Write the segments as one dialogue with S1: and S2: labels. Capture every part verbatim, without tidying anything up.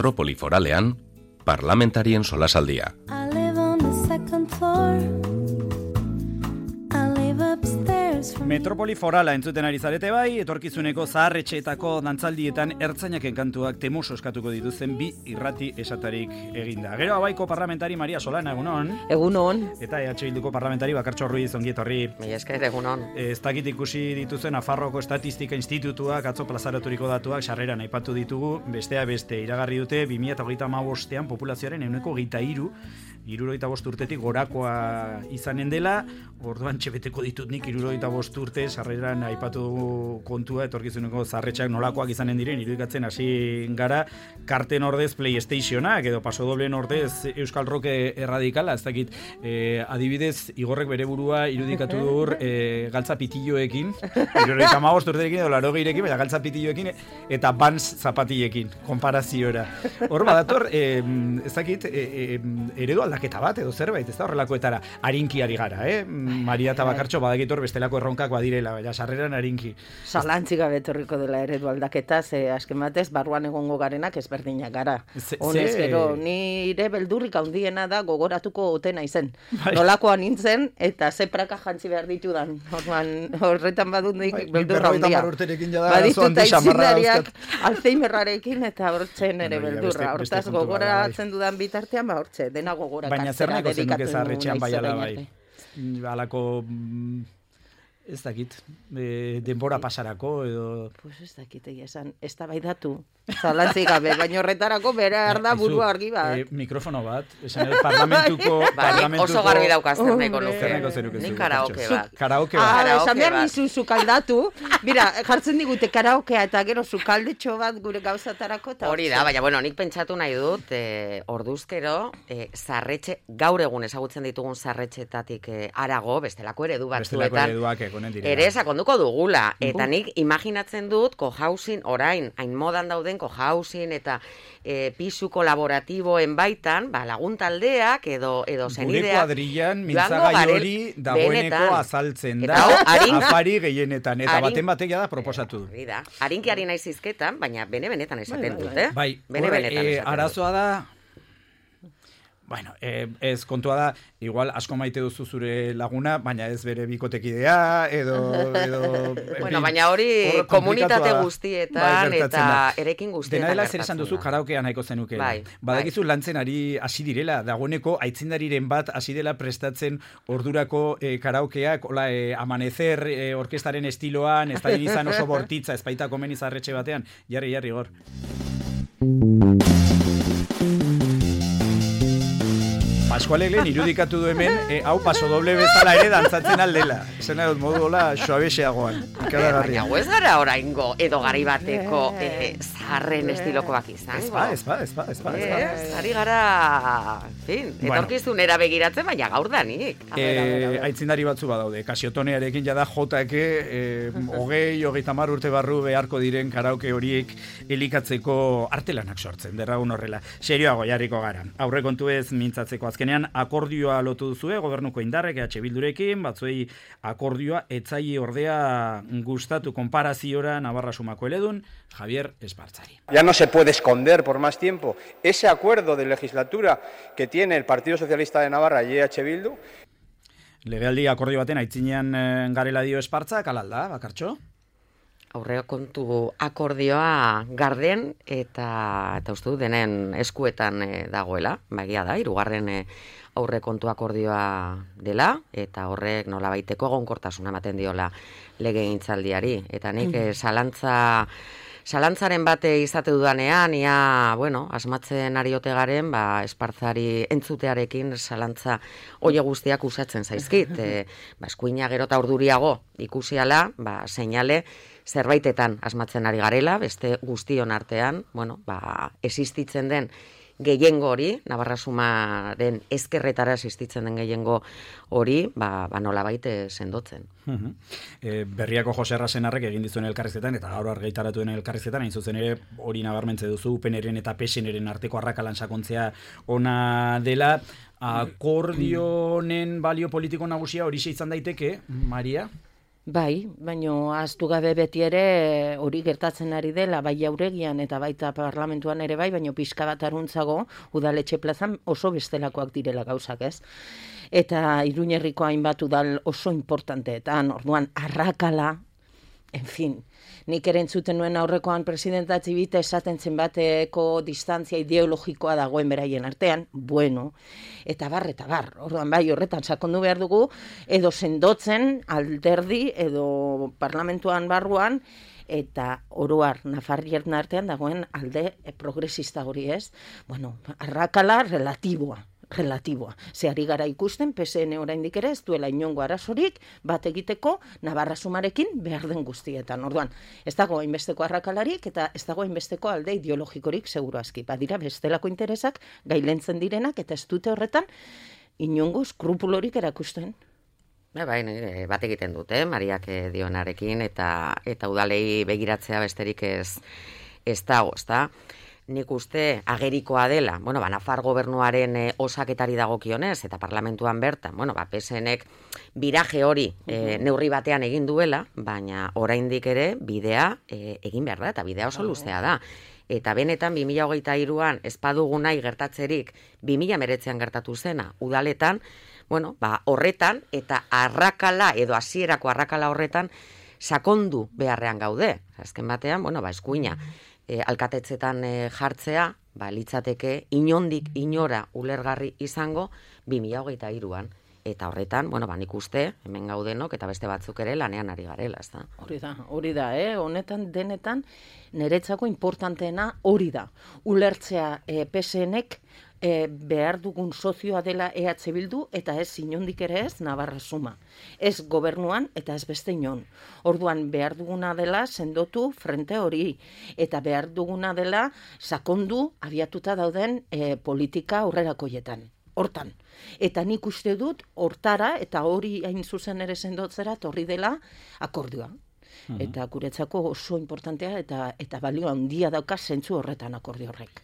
S1: Metropoliforalean, parlamentarien solasaldia.
S2: Metropoli forala entzuten ari zarete bai, etorkizuneko zaharretxeetako dantzaldietan ertzainaken kantuak temuso eskatuko dituzten bi irrati esatarik eginda. Gero abaiko parlamentari Maria Solana, egunon.
S3: Egunon.
S2: Eta E H Bilduko parlamentari Bakartxo Ruiz, ongi etorri.
S3: Mila esker, egunon.
S2: Ez dakit ikusi dituzen Nafarroako Estatistika Institutuak atzo plazaraturiko datuak sarreran aipatu ditugu, bestea beste iragarri dute bi mila hogeita hamabostean populazioaren ehuneko hogeita hiru, hirurogeita bost urtetik gorakoa izanen dela, orduan txebeteko ditut nik hirurogeita bost urte sarreran aipatu kontua etorkizuneko zarretxak nolakoak izanen diren irudikatzen hasi gara, karten ordez PlayStationak edo pasodoblen ordez Euskal Rock erradikala, ez dakit eh, adibidez Igorrek bere burua irudikatu dur eh, galtza pitilloekin, hirurogeita hamabost urterekin edo larogeirekin, baina galtza pitilloekin eta Vans zapatillekin, konparaziora. Hor badator, eh, ez dakit, eh, eh, eredu aldaketa bat edo zerbait, ez da horrelakoetara arinkiari gara, eh? Maria eta Bakartxo badakitor bestelako erronkak badirela, baina sarreran arinki.
S3: Zalantzik gabe etorriko dela eredu aldaketa, ze asken batez, barruan egongo garenak ezberdinak gara. Honez, gero, nire beldurrik handiena da gogoratuko otena izen. Bai. Nolakoa nintzen, eta ze praka jantzi behar ditudan. Horman, horretan badut nik bai, beldurra handia. Baditut aitzindariak Alzheimerrarekin eta hortzen ere beldurra. Hortaz, gogoratzen dudan bitartean, ba hortze, dena gogora.
S2: Baina zer nako zenuke zarretxean bai ala bai. Alako, ez dakit, e, denbora pasarako edo...
S3: Pues ez dakit egia esan, ez da bai datu, zalantzik gabe, baina horretarako bera arda buru argi bat.
S2: E, mikrofono bat, esan edo parlamentuko... parlamentuko...
S4: Oso garbi daukazten neko nuke.
S2: Zerneko zenuke
S4: Nik karaoke bat.
S2: Karaoke bat.
S3: Ah, esan behar nizu zukaldatu. Mira, jartzen digute karaokea eta gero zukaldetxo bat gure gauzatarako.
S4: Hori da, baina bueno, nik pentsatu nahi dut, e, orduzkero, e, zarretxe, gaur egun ezagutzen ditugun zarretxetatik e, arago, bestelako eredu batzuetan.
S2: Bestelako ereduak egonen direla.
S4: Ere sakonduko dugula, eta nik imaginatzen dut cohousing orain, hain modan dauden cohousing eta e, pisu kolaboratiboen baitan, ba, laguntaldeak edo, edo zenideak.
S2: Gure kuadrillan mintzagai hori dagoeneko azaltzen da, afari gehienetan, eta baten batek da proposatu du.
S4: Da, arinkiari naiz izketan, baina bene-benetan esaten dut, eh?
S2: Bai,
S4: bene-benetan
S2: e,
S4: esaten dut.
S2: Arazoa da, bueno, eh, ez kontua da, igual asko maite duzu zure laguna, baina ez bere bikotekidea, edo... edo
S4: bueno, baina hori komunitate guztietan bai, eta erekin guztietan.
S2: Dena dela zer esan duzu karaokea nahiko zenuke.
S4: Bai,
S2: Badakizu
S4: bai.
S2: lantzen ari hasi direla, dagoeneko aitzindariren bat hasi dela prestatzen ordurako eh, karaokeak, hola, eh, amanecer eh, orkestaren estiloan, ez da izan oso bortitza, ez baita komen izarretxe batean, jarri, jarri, gor. Pascualek lehen irudikatu du hemen, e, hau paso doble bezala ere dantzatzen aldela. Ezen dut modu hola suabexeagoan.
S4: Baina ez gara oraingo edo gari bateko e, zaharren estilokoak izan.
S2: Ez ba, ez ba, ez ba, ez ba.
S4: Ez, ari gara, fin, etorkizunera begiratzen, baina gaur danik.
S2: E, aitzindari batzu badaude, Kasiotonearekin jada jotake, e, hogei, hogeita hamar urte barru beharko diren karaoke horiek elikatzeko artelanak sortzen, derragun horrela. Serioago jarriko garan. Aurrekontu ez mintzatzeko azkenean akordioa lotu duzue, gobernuko indarrek E H Bildurekin, batzuei akordioa etzaile ordea gustatu konparaziora Navarra Sumako eledun, Javier Espartzari.
S5: Ya no se puede esconder por más tiempo ese acuerdo de legislatura que tiene el Partido Socialista de Navarra y E H Bildu.
S2: Legealdi akordio baten aitzinean garela dio Espartzak, alalda, Bakartxo?
S4: Aurrekontu akordioa garden eta eta uste dut denen eskuetan e, dagoela, bagia da, hirugarren e, aurrekontu akordioa dela eta horrek nolabaiteko egonkortasuna ematen diola legegintzaldiari eta nik e, zalantza Zalantzaren bate izate dudanean, ia, bueno, asmatzen ari ote garen, ba, Espartzari entzutearekin zalantza oie guztiak usatzen zaizkit. E, ba, eskuina gero eta urduriago ikusiala, ba, seinale, zerbaitetan asmatzen ari garela, beste guztion artean, bueno, ba, existitzen den gehiengo hori, Navarra Sumaren ezkerretara existitzen den gehiengo hori, ba, ba nolabait sendotzen.
S2: Uh-huh. E, berriako Jose Errazenarrek egin dizuen elkarrizketan, eta gaur argitaratu den elkarrizketan, hain zuzen ere hori nabarmentze duzu, U P N-ren eta P S N-ren arteko arrakalan sakontzea ona dela, akordionen balio politiko nagusia hori izan daiteke, Maria?
S3: Bai, baino ahaztu gabe beti ere hori gertatzen ari dela, bai Jauregian eta baita parlamentuan ere bai, baino pixka bat aruntzago udaletxe plazan oso bestelakoak direla gauzak, ez? Eta Iruñerriko hainbat udal oso importanteetan, orduan arrakala, en fin, nik ere entzuten nuen aurrekoan presidenta Txibita esaten zenbateko distantzia ideologikoa dagoen beraien artean, bueno, eta bar, eta bar, orduan bai horretan sakondu behar dugu, edo sendotzen alderdi, edo parlamentuan barruan, eta oroar Nafarrien artean dagoen alde progresista hori ez, bueno, arrakala relatiboa. relatiboa. Ze ari gara ikusten, P S N oraindik ere ez duela inongo arazorik bat egiteko Navarra Sumarekin behar den guztietan. Orduan, ez dago hainbesteko arrakalarik eta ez dago hainbesteko alde ideologikorik seguru aski. Badira bestelako interesak gailentzen direnak eta ez dute horretan inongo skrupulorik erakusten.
S4: Bai, bat egiten dute, Mariak dionarekin eta eta udalei begiratzea besterik ez ez dago, ezta? Nik uste agerikoa dela, bueno, ba, Nafar gobernuaren e, osaketari dagokionez eta parlamentuan bertan, bueno, ba, P SNek biraje hori e, neurri batean egin duela, baina oraindik ere bidea e, egin behar da, eta bidea oso luzea da. Eta benetan bi mila hogeita hiruan ez badugu nahi gertatzerik bi mila hemeretzian gertatu zena udaletan, bueno, ba, horretan eta arrakala edo hasierako arrakala horretan sakondu beharrean gaude. Azken batean, bueno, ba, eskuina. E, alkatetzetan e, jartzea, ba, litzateke inondik inora ulergarri izango bi mila hogeita hiruan. Eta horretan, bueno, ba, nik uste, hemen gaudenok eta beste batzuk ere lanean ari garela, ez da?
S3: Hori da, hori da, eh? Honetan denetan niretzako importanteena hori da. Ulertzea e, P SNek e, behar dugun sozioa dela E H Bildu eta ez inondik ere ez Navarra Suma. Ez gobernuan eta ez beste inon. Orduan behar duguna dela sendotu frente hori eta behar duguna dela sakondu abiatuta dauden e, politika aurrerakoietan. Hortan. Eta nik uste dut hortara eta hori hain zuzen ere sendotzera horri dela akordioa. Uh-huh. Eta guretzako oso importantea eta eta balio handia dauka zentzu horretan akordio horrek.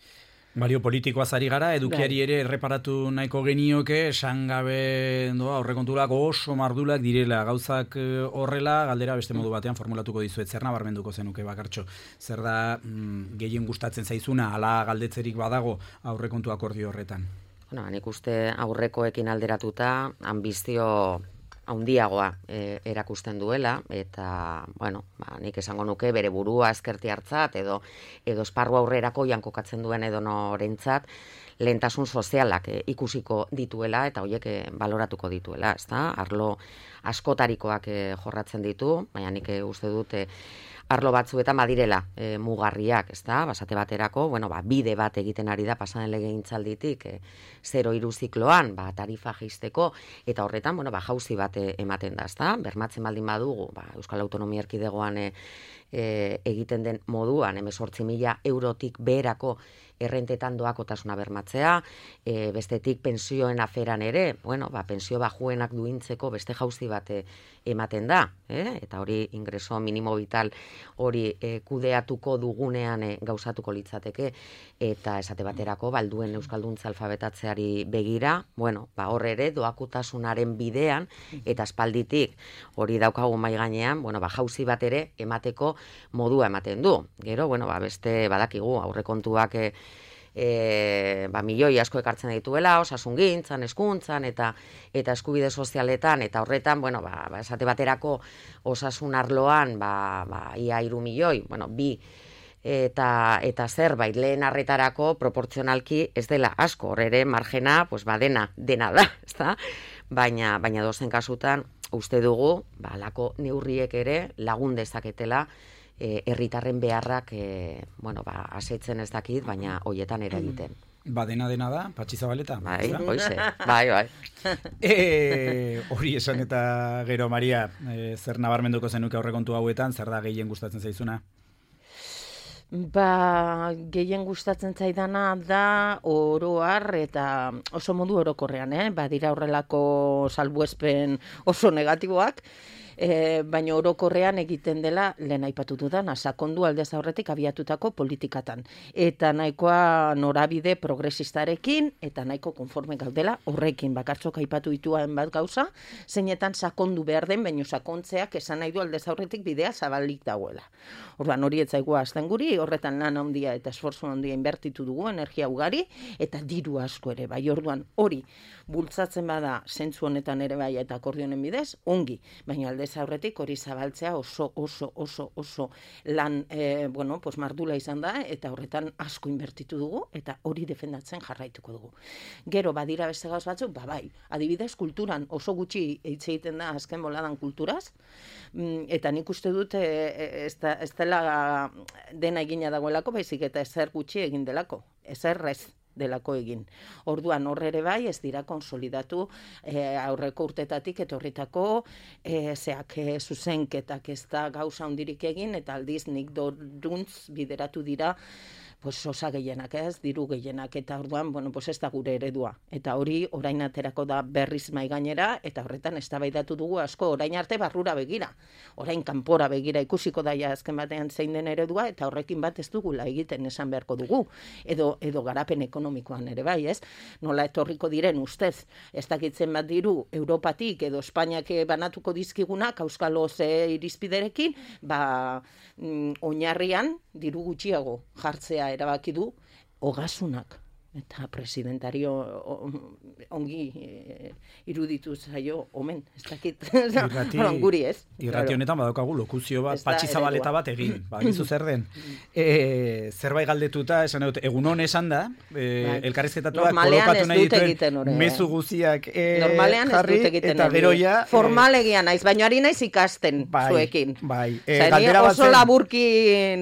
S2: Balio politikoaz ari gara, edukiari ere erreparatu nahiko genioke, esan gabe doa, aurrekontulak oso mardulak direla, gauzak horrela, galdera beste modu batean formulatuko dizuet, zer nabarmenduko zenuke bakartxo. Zer da mm, gehien gustatzen zaizuna, ala galdetzerik badago aurrekontu akordio horretan?
S4: Bueno, nik uste aurrekoekin alderatuta ambizio handiagoa e, erakusten duela eta, bueno, ba, nik esango nuke bere burua ezkerti hartzat edo edo esparru aurrerako jankokatzen duen edo norentzat lehentasun sozialak e, ikusiko dituela eta horiek e, baloratuko dituela, ezta? Arlo askotarikoak e, jorratzen ditu, baina nik e, uste dut e, arlo batzuetan badirela e, mugarriak, ezta? Basate baterako, bueno, ba, bide bat egiten ari da pasaden legegintzalditik e, zero hiru zikloan, ba, tarifa jaisteko eta horretan, bueno, ba, jauzi bat e, ematen da, ezta? Bermatzen baldin badugu, ba, Euskal Autonomia Erkidegoan e, e, egiten den moduan, hemezortzi mila eurotik beherako errentetan doakotasuna bermatzea, e, bestetik pensioen aferan ere, bueno, ba, pensio bajuenak duintzeko beste jauzi bat e, ematen da, eh? Eta hori ingreso minimo vital hori e, kudeatuko dugunean e, gauzatuko litzateke, eta esate baterako balduen euskalduntza alfabetatzeari begira, bueno, ba, hor ere doakotasunaren bidean, eta aspalditik hori daukagu mai gainean, bueno, ba, jauzi bat ere emateko modua ematen du. Gero, bueno, ba, beste badakigu aurrekontuak e, E, ba, milioi asko ekartzen dituela, osasungintzan, hezkuntzan eta eta eskubide sozialetan, eta horretan, bueno, ba, ba, esate baterako osasun arloan, ba, ba, ia hiru milioi, bueno, bi eta eta zerbait lehen arretarako proportzionalki ez dela asko, hor ere margena, pues, ba, dena, dena da, ezta? Baina, baina dozen kasutan, uste dugu, ba, lako neurriek ere lagun dezaketela, herritarren beharrak, e, bueno, ba, asetzen ez dakit, baina hoietan ere egiten.
S2: Ba, dena dena da, Patxi Zabaleta.
S4: Bai, hoize, bai, bai.
S2: E, hori esan eta gero, Maria, e, zer nabarmenduko zenuke aurrekontu hauetan, zer da gehien gustatzen zaizuna?
S3: Ba, gehien gustatzen zaidana da oroar eta oso modu orokorrean, eh? Badira horrelako salbuespen oso negatiboak, E, baina orokorrean egiten dela, lehen aipatu dudan, sakondu aldez aurretik abiatutako politikatan. Eta nahikoa norabide progresistarekin, eta nahiko konforme gaudela horrekin. Bakartzok aipatu dituen bat gauza, zeinetan sakondu behar den, baina sakontzeak esan nahi du aldez aurretik bidea zabalik dagoela. Orduan hori etzaigua azten guri, horretan lan handia eta esforzu handia inbertitu dugu, energia ugari, eta diru asko ere, bai orduan hori bultzatzen bada zentzu honetan ere bai eta akordionen bidez, ongi, baina aldez aurretik hori zabaltzea oso, oso, oso, oso lan, e, bueno, pues mardula izan da, eta horretan asko inbertitu dugu, eta hori defendatzen jarraituko dugu. Gero, badira beste gauz batzuk, ba bai, adibidez, kulturan oso gutxi hitz egiten da azken boladan kulturaz, eta nik uste dut e, ez, da, ez dela dena egina dagoelako, baizik eta ezer gutxi egin delako, ezer ez delako egin. Orduan horre ere bai ez dira konsolidatu e, aurreko urtetatik etorritako e, zeak e, zuzenketak ez da gauza hondirik egin eta aldiz nik doruntz bideratu dira pues osa gehienak ez, diru gehienak, eta orduan, bueno, pues ez da gure eredua. Eta hori orain aterako da berriz mai gainera, eta horretan eztabaidatu dugu asko orain arte barrura begira. Orain kanpora begira ikusiko daia azken batean zein den eredua, eta horrekin bat ez dugula egiten esan beharko dugu. Edo, edo garapen ekonomikoan ere bai, ez? Nola etorriko diren ustez, ez dakitzen bat diru Europatik edo Espainiak banatuko dizkigunak, Euskalo ze irizpiderekin, ba, mm, oinarrian diru gutxiago jartzea erabaki du ogasunak. Eta presidentario ongi e, iruditu zaio omen, ez dakit.
S2: Irrati,
S3: guri ez.
S2: Irrati honetan badaukagu lokuzio bat, Patxi Zabaleta bat egin. Bagizu zer den. E, zerbait galdetuta, esan dut, egun hon esan da, e, elkarrizketatuak kolokatu nahi dituen mezu guziak e,
S3: normalean
S2: jarri,
S3: ez dut egiten
S2: eta gero ja...
S3: Formalegia naiz, baina ari naiz ikasten
S2: bai,
S3: zuekin.
S2: Bai, e,
S3: galdera oso
S2: zen...
S3: laburki,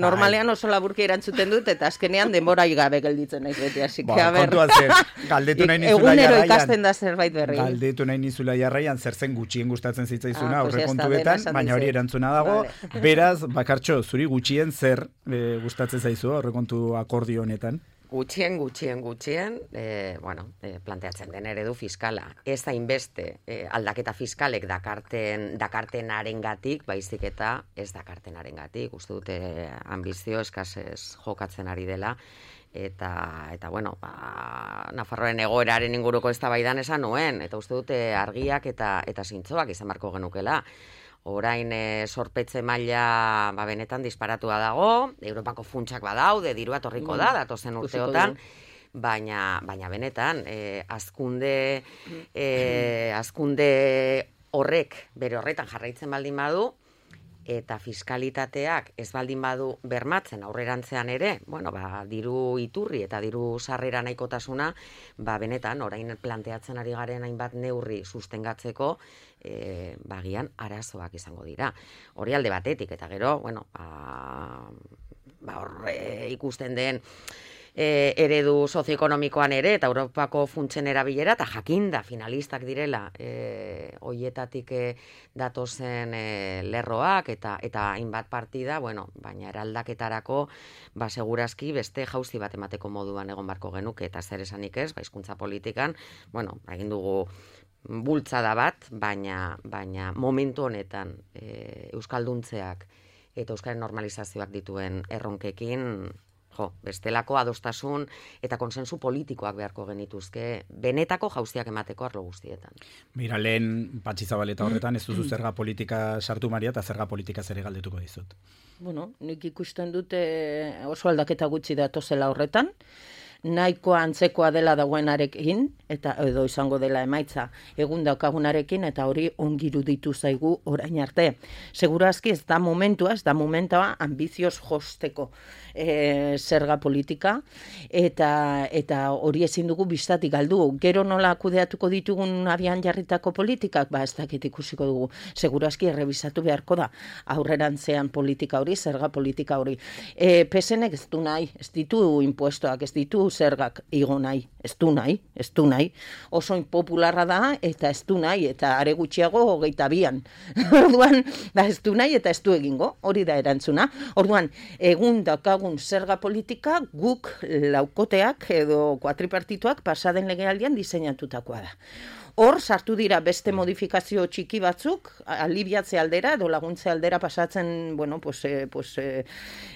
S3: normalean oso laburki erantzuten dut, eta azkenean denbora gabe gelditzen naiz beti, así que
S2: kontuan zer, galdetu nahi nizula jarraian.
S3: Egunero ikasten da zerbait berri.
S2: Galdetu nahi nizula jarraian zer zen gutxien gustatzen zitzaizuna
S3: ah,
S2: aurre
S3: pues
S2: kontuetan, baina hori erantzuna dago. Vale. Beraz, bakartxo, zuri gutxien zer e, gustatzen zaizu aurre kontu akordio honetan?
S4: Gutxien, gutxien, gutxien, e, bueno, e, planteatzen den eredu fiskala. Ez da inbeste e, aldaketa fiskalek dakarten, dakartenarengatik, baizik eta ez dakartenarengatik. Uste dute ambizio eskasez jokatzen ari dela. Eta, eta bueno, ba, Nafarroaren egoeraren inguruko eztabaidan esan nuen, eta uste dute argiak eta eta zintzoak izan beharko genukela. Orain e, sorpetze maila ba, benetan disparatua dago, Europako funtsak badaude, dirua torriko da, datozen urteotan, baina, baina benetan, e, azkunde, e, azkunde horrek bere horretan jarraitzen baldin badu, eta fiskalitateak ez baldin badu bermatzen aurrerantzean ere, bueno, ba, diru iturri eta diru sarrera nahikotasuna, ba, benetan, orain planteatzen ari garen hainbat neurri sustengatzeko, e, bagian arazoak izango dira. Hori alde batetik, eta gero, bueno, ba, ba horre ikusten den, E, eredu sozioekonomikoan ere eta Europako funtsen erabilera eta jakinda finalistak direla e, hoietatik e, datozen e, lerroak eta eta hainbat partida, bueno, baina eraldaketarako ba segurazki beste jauzi bat emateko moduan egon barko genuke eta zer esanik ez, ba hizkuntza politikan, bueno, egin dugu bultzada bat, baina baina momentu honetan e, euskalduntzeak eta euskaren normalizazioak dituen erronkekin jo, bestelako adostasun eta konsensu politikoak beharko genituzke benetako jauziak emateko arlo guztietan.
S2: Mira, lehen Patxi Zabaleta horretan ez duzu zerga politika sartu Maria eta zerga politika ere galdetuko dizut.
S3: Bueno, nik ikusten dute oso aldaketa gutxi datozela horretan, nahikoa antzekoa dela dagoenarekin, eta edo izango dela emaitza egun daukagunarekin, eta hori ongi iruditu zaigu orain arte. Segurazki ez da momentua, ez da momentua ambizioz josteko e, zerga politika, eta eta hori ezin dugu bistatik galdu. Gero nola kudeatuko ditugun abian jarritako politikak, ba ez dakit ikusiko dugu. Segurazki errebisatu beharko da aurrerantzean politika hori, zerga politika hori. E, P S Nek ez du nahi, ez ditu impuestoak, ez ditu zergak igo nahi, ez du nahi, ez du nahi. Oso impopularra da, eta ez du nahi, eta are gutxiago hogeita bian. Orduan, da ez du nahi, eta ez du egingo, hori da erantzuna. Orduan, egun daukagun zerga politika, guk laukoteak edo kuatripartituak pasaden legealdian diseinatutakoa da. Hor sartu dira beste modifikazio txiki batzuk, alibiatze aldera edo laguntze aldera pasatzen, bueno, pues, eh, pues, eh,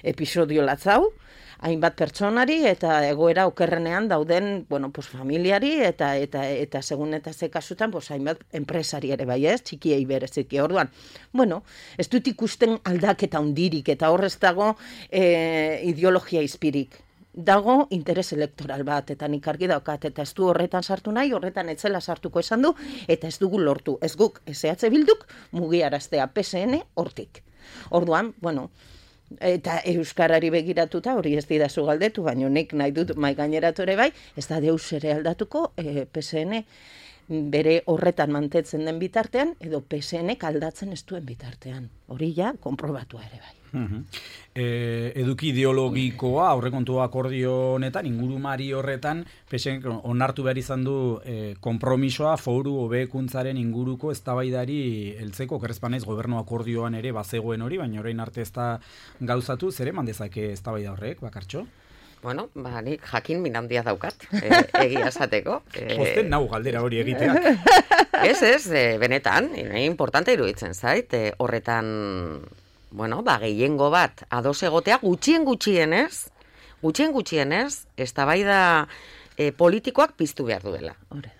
S3: episodio latzau, hainbat pertsonari eta egoera okerrenean dauden, bueno, pues familiari eta eta eta segun eta ze kasutan, pues hainbat enpresari ere bai, ez? Txikiei bereziki. Orduan, bueno, ez dut ikusten aldaketa hundirik eta hor ez dago eh, ideologia izpirik. Dago interes elektoral bat, eta nik argi daukat, eta ez du horretan sartu nahi, horretan etzela sartuko esan du, eta ez dugu lortu. Ez guk, ez E H Bilduk, mugiaraztea P S N hortik. Orduan, bueno, eta euskarari begiratuta hori ez didazu galdetu, baina nik nahi dut mai gaineratu ere bai, ez da deus ere aldatuko e, P S N bere horretan mantetzen den bitartean, edo P S N aldatzen ez duen bitartean. Hori ja, konprobatua ere bai.
S2: Uh-huh. E, eduki ideologikoa aurrekontu akordio honetan, ingurumari horretan, P S N onartu behar izan du e, konpromisoa foru hobekuntzaren inguruko eztabaidari heltzeko, kerrezpanez gobernu akordioan ere bazegoen hori, baina orain arte ez da gauzatu, zer eman dezake eztabaida horrek, Bakartxo?
S4: Bueno, ba, nik jakin min handia daukat, e, egia esateko. E,
S2: Posten nau galdera hori egiteak.
S4: Ez, ez, e, benetan, e, importante iruditzen zait, e, horretan, bueno, ba, gehiengo bat ados egotea, gutxien gutxienez, gutxien gutxienez, eztabaida e, politikoak piztu behar duela.
S3: Hore.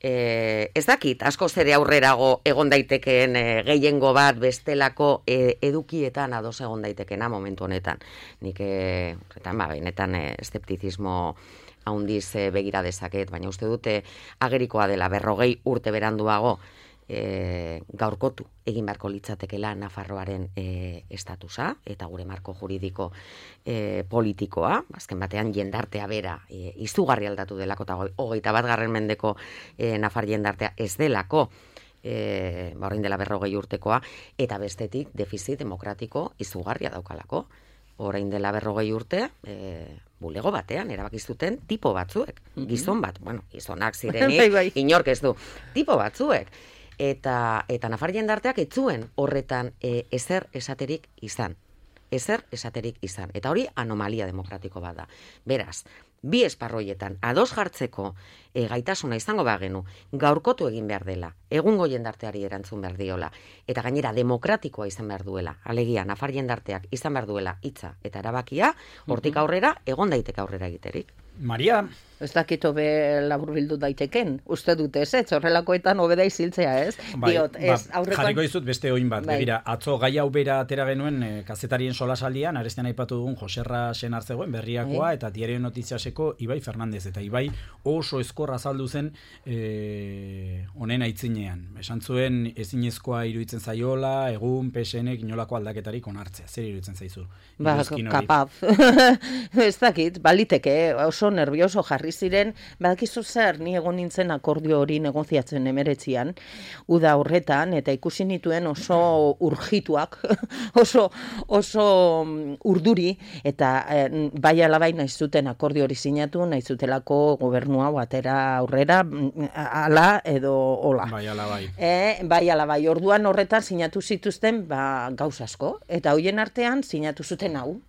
S4: E, ez dakit, asko zere aurrerago egon daitekeen e, gehiengo bat bestelako e, edukietan ados egon daitekena momentu honetan. Nik, e, horretan, ba, benetan e, eszeptizismo haundiz e, begira dezaket, baina uste dute agerikoa dela berrogei urte beranduago e, gaurkotu egin beharko litzatekela Nafarroaren e, estatusa eta gure marko juridiko e, politikoa, azken batean jendartea bera e, izugarri aldatu delako eta hogeita bat garren mendeko e, Nafar jendartea ez delako e, ba, orain dela berrogei urtekoa, eta bestetik defizit demokratiko izugarria daukalako. Orain dela berrogei urte, e, bulego batean erabakizuten tipo batzuek, gizon bat, bueno, gizonak zirenik, inork ez du, tipo batzuek. Eta, eta Nafar jendarteak etzuen horretan e, ezer esaterik izan. Ezer esaterik izan. Eta hori anomalia demokratiko bat da. Beraz, bi esparroietan ados jartzeko e, gaitasuna izango bagenu, gaurkotu egin behar dela, egungo jendarteari erantzun behar diola, eta gainera demokratikoa izan behar duela, alegia Nafar jendarteak izan behar duela hitza eta erabakia, hortik aurrera, egon daiteke aurrera egiterik.
S2: Maria?
S3: Ez dakito be laburbildu daiteken, uste dute ez, ez horrelakoetan hobeda iziltzea, ez?
S2: Bai,
S3: Diot, ez,
S2: ba, aurrekoan... Jarriko dizut beste oin bat, bai. Begira, atzo gai hau bera atera genuen e, kazetarien solasaldian, arestian aipatu dugun Joserra Senar zegoen, Berriakoa, bai. Eta Diario Notiziaseko Ibai Fernandez, eta Ibai oso eskor azaldu zen e, honen aitzinean. Esan zuen ezinezkoa iruditzen zaiola, egun P S Nek inolako aldaketarik onartzea. Zer iruditzen zaizu?
S3: Ba, kapaz. Ez dakit, baliteke, oso nervioso jarri ziren, badakizu zer, ni egon nintzen akordio hori negoziatzen emeretzian, uda horretan, eta ikusi nituen oso urgituak, oso, oso urduri, eta eh, bai alabai nahi zuten akordio hori sinatu, nahi zutelako gobernua batera aurrera, ala edo hola.
S2: Bai alabai.
S3: E, bai alabai, orduan horretan sinatu zituzten ba, gauz asko, eta hoien artean sinatu zuten hau.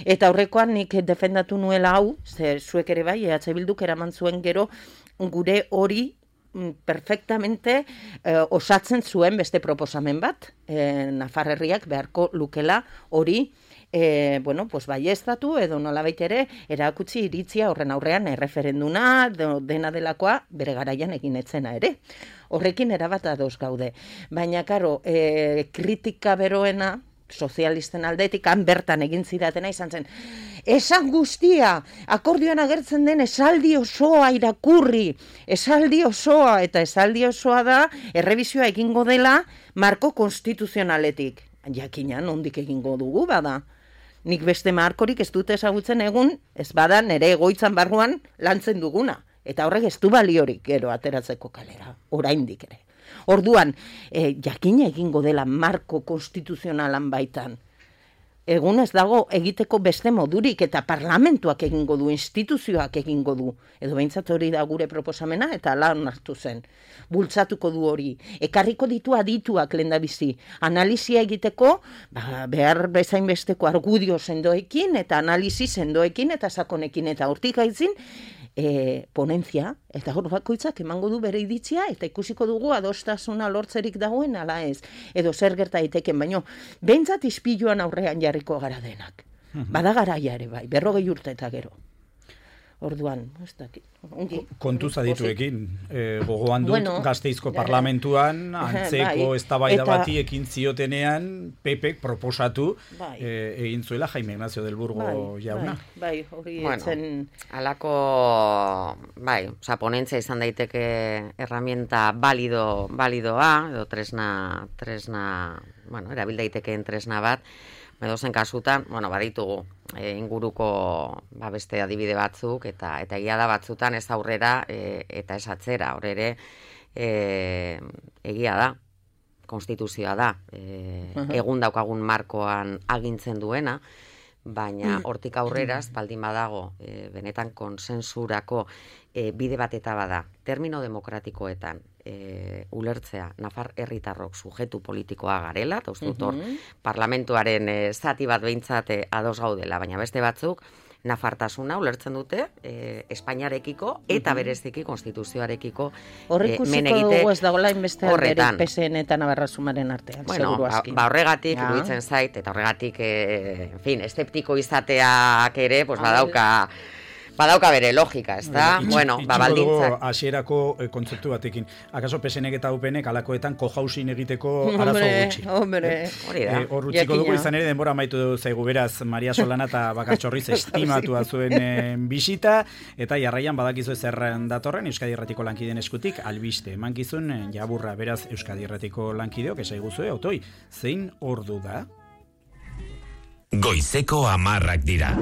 S3: Eta horrekoan nik defendatu nuela hau, ze zuek ere bai, E H Bilduk eraman zuen gero gure hori perfectamente eh, osatzen zuen beste proposamen bat, eh, Nafar herriak beharko lukela hori E, bueno, pues baiestatu edo nolabait ere erakutsi iritzia horren aurrean erreferenduna dena delakoa bere garaian egin etzena ere. Horrekin erabat ados gaude. Baina, karo, e, kritika beroena sozialisten aldetik, han bertan egin zidatena izan zen. Esan guztia, akordioan agertzen den esaldi osoa irakurri, esaldi osoa, eta esaldi osoa da, errebizioa egingo dela marko konstituzionaletik. Jakina, nondik egingo dugu bada. Nik beste markorik ez dute ezagutzen egun, ez bada nere egoitzan barruan lantzen duguna. Eta horrek ez du baliorik gero ateratzeko kalera, oraindik ere. Orduan, e, jakina egingo dela marko konstituzionalan baitan. Egun ez dago egiteko beste modurik, eta parlamentuak egingo du, instituzioak egingo du. Edo behintzat hori da gure proposamena, eta ala onartu zen. Bultzatuko du hori. Ekarriko ditu adituak lehendabizi. Analizia egiteko, ba, behar bezain besteko argudio sendoekin, eta analizi sendoekin, eta sakonekin, eta hortik aitzin, e, ponentzia, eta hor bakoitzak emango du bere iritzia, eta ikusiko dugu adostasuna lortzerik dagoen ala ez, edo zer gerta daiteken, baino, behintzat ispiluan aurrean jarriko gara denak. Bada garaia ere bai, berrogei urte eta gero. Orduan, ez dakit.
S2: Kontuz adituekin, e, gogoan dut bueno, Gasteizko parlamentuan antzeko bai, eztabaida bati ekin ziotenean Pepek proposatu bai, e, egin zuela Jaime Ignacio del Burgo bai, jauna.
S3: Bai, hori
S4: bueno,
S3: etzen...
S4: Alako, bai, oza, ponentzia izan daiteke herramienta balido, balidoa, edo tresna, tresna, bueno, erabil daitekeen tresna bat, edozen kasutan, bueno, baditugu e, inguruko ba, beste adibide batzuk, eta eta egia da batzutan ez aurrera e, eta ez atzera, hor ere e, egia da, konstituzioa da, e, uh-huh. egun daukagun markoan agintzen duena, baina hortik aurrera, baldin badago, e, benetan konsensurako e, bide bat eta bada, termino demokratikoetan, E, ulertzea, Nafar herritarrok sujetu politikoa garela, eta uste dut hor, uh-huh. parlamentuaren e, zati bat behintzat e, ados gaudela, baina beste batzuk, nafartasuna ulertzen dute e, Espainiarekiko eta uh-huh. bereziki konstituzioarekiko
S3: horrikusiko
S4: e,
S3: dugu ez dagoela inbeste bere P S N eta Navarrasumaren artean,
S4: bueno, seguru aski. Ba, ba horregatik, ja. Iruditzen zait, eta horregatik, e, en fin, eszeptiko izateak ere, pues, badauka... Badauka bere logika, ez da? Itx, bueno, ba, baldintzak.
S2: Hasierako eh, kontzeptu batekin. Akaso P S N eta U P N alakoetan co-housing egiteko arazo gutxi.
S3: Hombre,
S4: hori da.
S2: Hor utziko dugu izan ere denbora amaitu zaigu beraz Maria Solana eta Bakartxorriz estimatua zuen eh, bisita, eta jarraian badakizu zerren datorren Euskadi Irratiko lankideen eskutik albiste emankizun eh, jaburra, beraz Euskadi Irratiko lankideok esaiguzue, autoi, zein ordu da?
S6: Goizeko hamarrak dira.